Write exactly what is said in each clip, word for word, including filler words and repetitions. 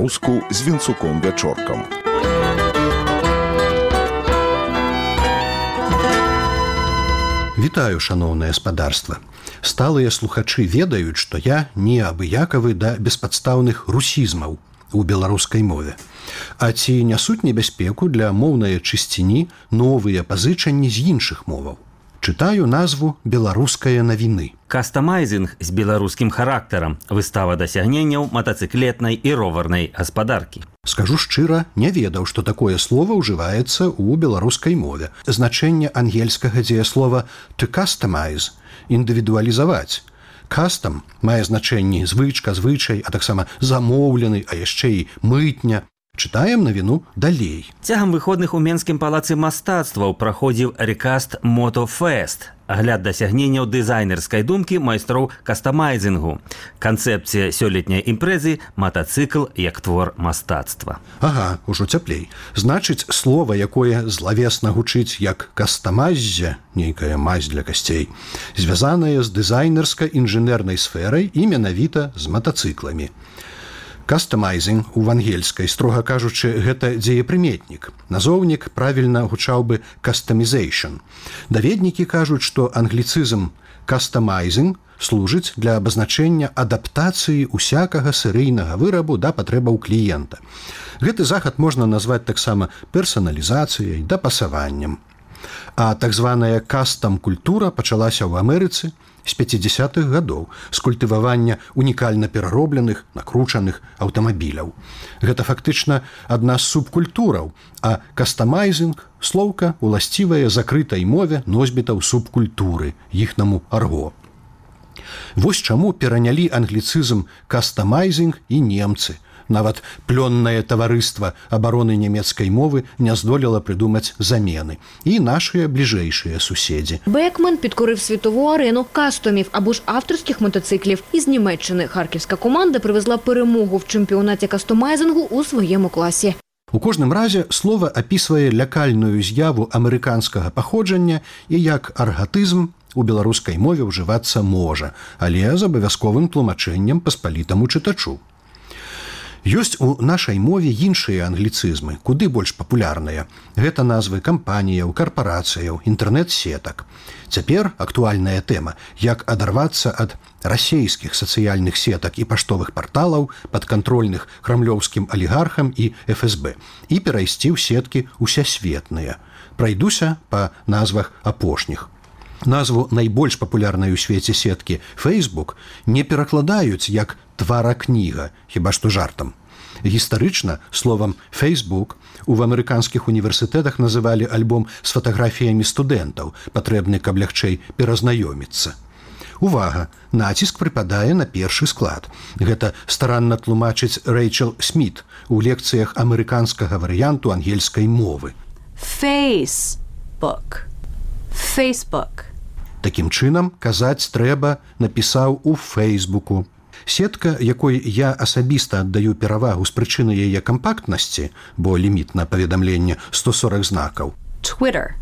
па-беларуску з Вінцуком Вячоркам. Вітаю, шаноўнае спадарства. Сталыя слухачы ведаюць, што я не абыякавы да беспадстаўных русізмаў у беларускай мове. А ці нясуць небяспеку для моўнай чысціні новыя пазычанні з іншых моваў? Чытаю назву «Беларуская навіны». Кастамайзінг з беларускім характарам. Выстава дасягненняў матацыклетнай і роварнай гаспадаркі. Скажу шчыра, не ведаў, што такое слово ўжываецца ў беларускай мове. Значэнне ангельскага дзеяслова «to customize» – індывідуалізаваць. Кастам мае значэнні звычка, звычай, а таксама замоўлены, а яшчэ і мытня. Чытаем навіну далей. Цягам выходных у Менскім палацы мастацтваў праходзіў рекаст Мотофест, агляд дасягненняў дызайнерскай думкі майстроў кастамайзінгу. Канцэпцыя сёлетняй імпрэзы – матацыкл як твор мастацтва. Ага, ужо цяплей. Значыць, слова, якое злавесна гучыць як кастамайззе, нейкая мазь для касцей, звязанае з дызайнерска-інжынернай сферай і менавіта з матацыкламі. Кастамайзінг у ангельскай, строга кажучы, гэта дзеепрыметнік. Назоўнік правільна гучаў бы «customization». Даведнікі кажуць, што англіцызм «customizing» служыць для абазначэння адаптацыі усякага серыйнага вырабу да патрэбаў кліента. Гэты захад можна назваць таксама персаналізацыяй, дапасаваннем. А так званая кастам-культура пачалася ў Амерыцы з пяцідзясятых гадоў з культывавання унікальна пераробленых, накручаных аўтамабіляў. Гэта фактычна адна з субкультураў, а кастамайзінг – слоўка, уласцівая закрытай мове носьбітаў субкультуры, іхнаму арго. Вось чаму перанялі англіцызм кастамайзінг і немцы. Нават плённае таварыства абароны нямецкай мовы не здолела придумаць замены. І нашыя бліжэйшыя суседзі. Бекмен підкорив світову арену кастомів або ж авторських мотоциклів. Із Німеччини харківська команда привезла перемогу в чемпіонаті кастомайзингу у своєму класі. У кожным разе слова апісвае лякальную з'яву амерыканскага паходжання і як аргатызм у беларускай мове ўжывацца можа, але з абавязковым тлумачэннем паспалітаму чытачу. Ёсць у нашай мове іншыя англіцызмы, куды больш папулярныя. Гэта назвы кампаніяў, карпарацыяў, інтэрнэт-сетак. Цяпер актуальная тэма, як адарвацца ад расейскіх сацыяльных сетак і паштовых парталаў, падкантрольных крамлёўскім алігархам і эф эс бэ, і перайсці ў сеткі усесветныя. Прайдуся па назвах апошніх. Назву найбольш папулярнай у свеце сеткі Facebook не перакладаюць як тваракніга, хіба што жартам. Гістарычна словам Facebook у амерыканскіх універсітэтах называлі альбом з фатаграфіямі студэнтаў, патрэбны, каб лягчэй перазнаёміцца. Увага! Націск прыпадае на першы склад. Гэта старанна тлумачыць Рэйчел Сміт у лекцыях амерыканскага варыянту ангельскай мовы. Facebook. Facebook. Такім чынам, казаць трэба напісаў у Фейсбуку. Сетка, якой я асабіста аддаю перавагу з прычыны яе кампактнасці, бо ліміт на паведамленне сто сорак знакаў. Twitter.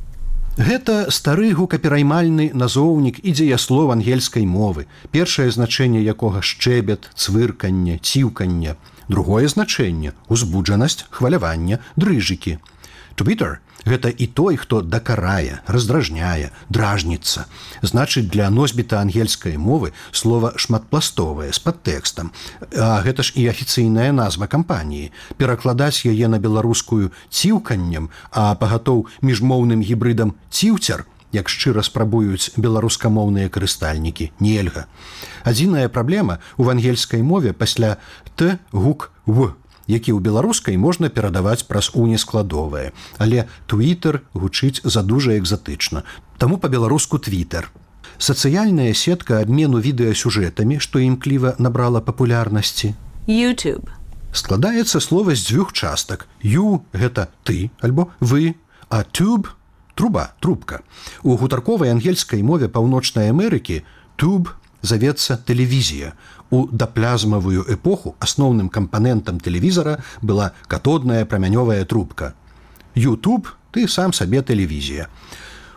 Гэта стары гукапераймальны назоўнік і дзеяслов ангельскай мовы, першае значэнне якога шчэбет, цвырканне, ціўканне. Другое значэнне – узбуджанасць, хваляванне, дрыжыкі. Twitter – гэта і той, хто дакарае, раздражняе, дражніцца. Значыць, для носьбіта ангельскай мовы слова шматпластовае, з падтэкстам. А гэта ж і афіцыйная назва кампаніі. Перакладаць яе на беларускую ціўканнем, а пагатоў міжмоўным гібрыдам ціўцер, як шчыра спрабуюць беларускамоўныя карыстальнікі, нельга. Адзіная праблема ў ангельскай мове пасля «т» гук «в», які ў беларускай можна перадаваць праз унескладовае. Але Twitter гучыць задужа экзатычна. Таму па-беларуску Twitter. Сацыяльная сетка абмену відэасюжэтамі, што імкліва набрала папулярнасці. YouTube. Складаецца слова з дзвюх частак. You – гэта ты, альбо вы, а tube – труба, трубка. У гутарковай ангельскай мове Паўночнай Амерыкі tube завецца тэлевізія. У даплязмавую эпоху асноўным кампанентам тэлевізара была катодная прамянёвая трубка. YouTube – ты сам сабе тэлевізія.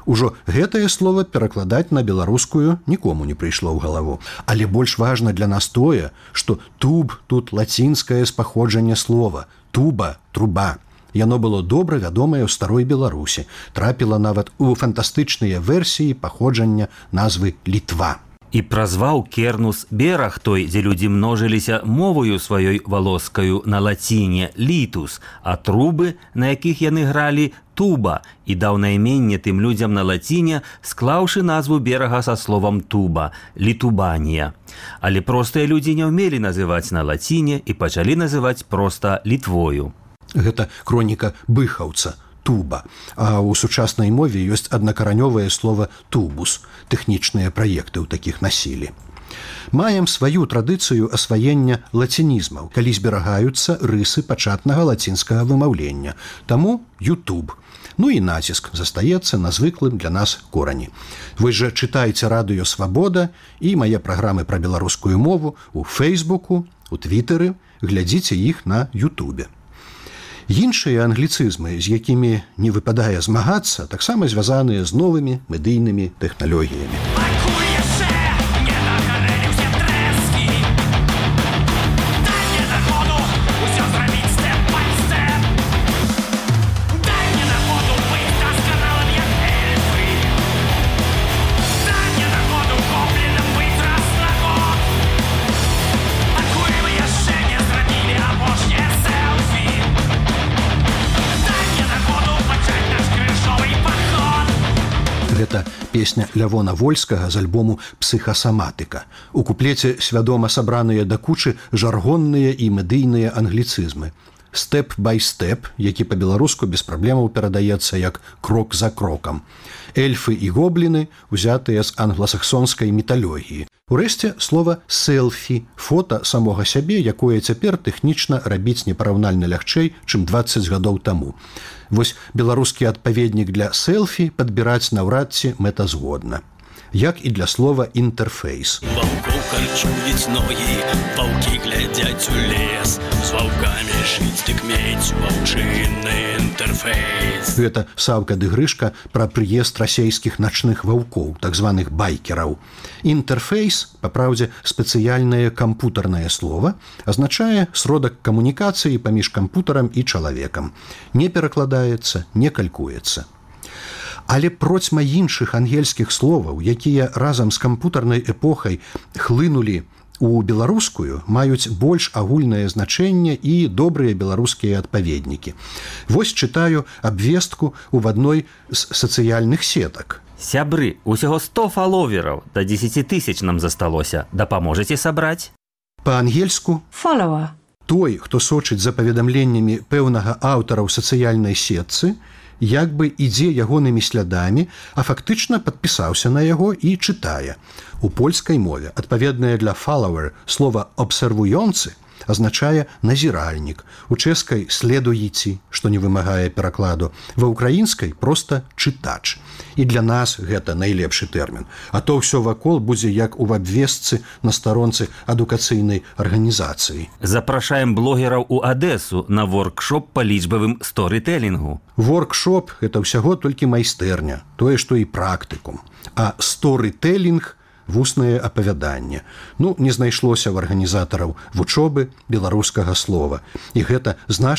Ужо гэтае слово перакладаць на беларускую нікому не прыйшло ў галаву. Але больш важна для нас тое, што туб тут лацінскае з паходжання слова. Туба, труба. Яно было добра вядомае ў старой Беларусі. Трапіла нават у фантастычныя версіі паходжання назвы Літва. І празваў Кернус бераг той, дзе людзі множыліся мовою сваёй валоскаю на лаціне літус, а трубы, на якіх яны гралі, туба, і даў найменне тым людзям на лаціне, склаўшы назву берага са словам туба – Літубанія. Але простыя людзі не ўмелі называць на лаціне і пачалі называць проста Літвою. Гэта хроніка быхаўца. Туба. А ў сучаснай мове ёсць аднакаранёвае слово тубус. Тэхнічныя праекты ў такіх насілі. Маем сваю традыцыю асваення лацінізмаў, калі зберагаюцца рысы пачатнага лацінскага вымаўлення. Таму YouTube. Ну і націск застаецца на звыклым для нас корані. Вы жа чытайце радыё «Свабода» і мае праграмы пра беларускую мову ў Фейсбуку, у Твітэры, глядзіце іх на Ютубе. Іншыя англіцызмы, з якімі не выпадае змагацца, таксама звязаныя з новымі медыйнымі тэхналогіямі. Гэта песня Лявона Вольскага з альбому «Псіхасаматыка». У куплеце свядома сабраныя да кучы жаргонныя і медыйныя англіцызмы. «Степ бай степ», які па-беларуску без праблемаў перадаецца як «крок за крокам». Эльфы і гобліны, узятыя з англасаксонскай міталогіі. Урэшце, слова «селфі» – фота самога сябе, якое цяпер тэхнічна рабіць непараўнальна лягчэй, чым дваццаць гадоў таму. Вось беларускі адпаведнік для селфі падбіраць наўрад ці мэтазгодна. Як і для слова «інтэрфейс». Ваўкоў харчуюць ногі, ваўкі глядзяць у лес, з ваўкамі жыць дык мець ваўчынны інтэрфейс. Гэта Саўка ды Грышка пра прыезд расейскіх начных ваўкоў, так званых байкераў. Інтэрфейс, па праўдзе, спецыяльнае кампутарнае слово, азначае сродак камунікацыі паміж кампутарам і чалавекам. Не перакладаецца, не калькуецца. Але процьма іншых ангельскіх словаў, якія разам з кампутарнай эпохай хлынулі у беларускую, маюць больш агульнае значэнне і добрыя беларускія адпаведнікі. Вось чытаю абвестку ў адной з сацыяльных сетак. Сябры, усяго сто фаловераў, да дзесяці тысяч нам засталося. Дапаможаце сабраць? Па-ангельску Follower. той, хто сочыць за паведамленнямі пэўнага аўтара ў сацыяльнай сетцы, як бы ідзе ягонымі слядамі, а фактычна падпісаўся на яго і чытае. У польскай мове адпаведнае для «follower» слова «абсервуёнцы» азначае назіральнік, у чэшскай «следуйці», што не вымагае перакладу, ва ўкраінскай проста «чытач». І для нас гэта найлепшы тэрмін. А то ўсё вакол будзе як у абвестцы на старонцы адукацыйнай арганізацыі. Запрашаем блогераў у Адэсу на воркшоп па лічбавым сторытэлінгу. Воркшоп – гэта ўсяго толькі майстэрня, тое, што і практыкум. А сторытэлінг – вуснае апавяданне. Ну, не знайшлося ў арганізатараў вучобы беларускага слова. І гэта значна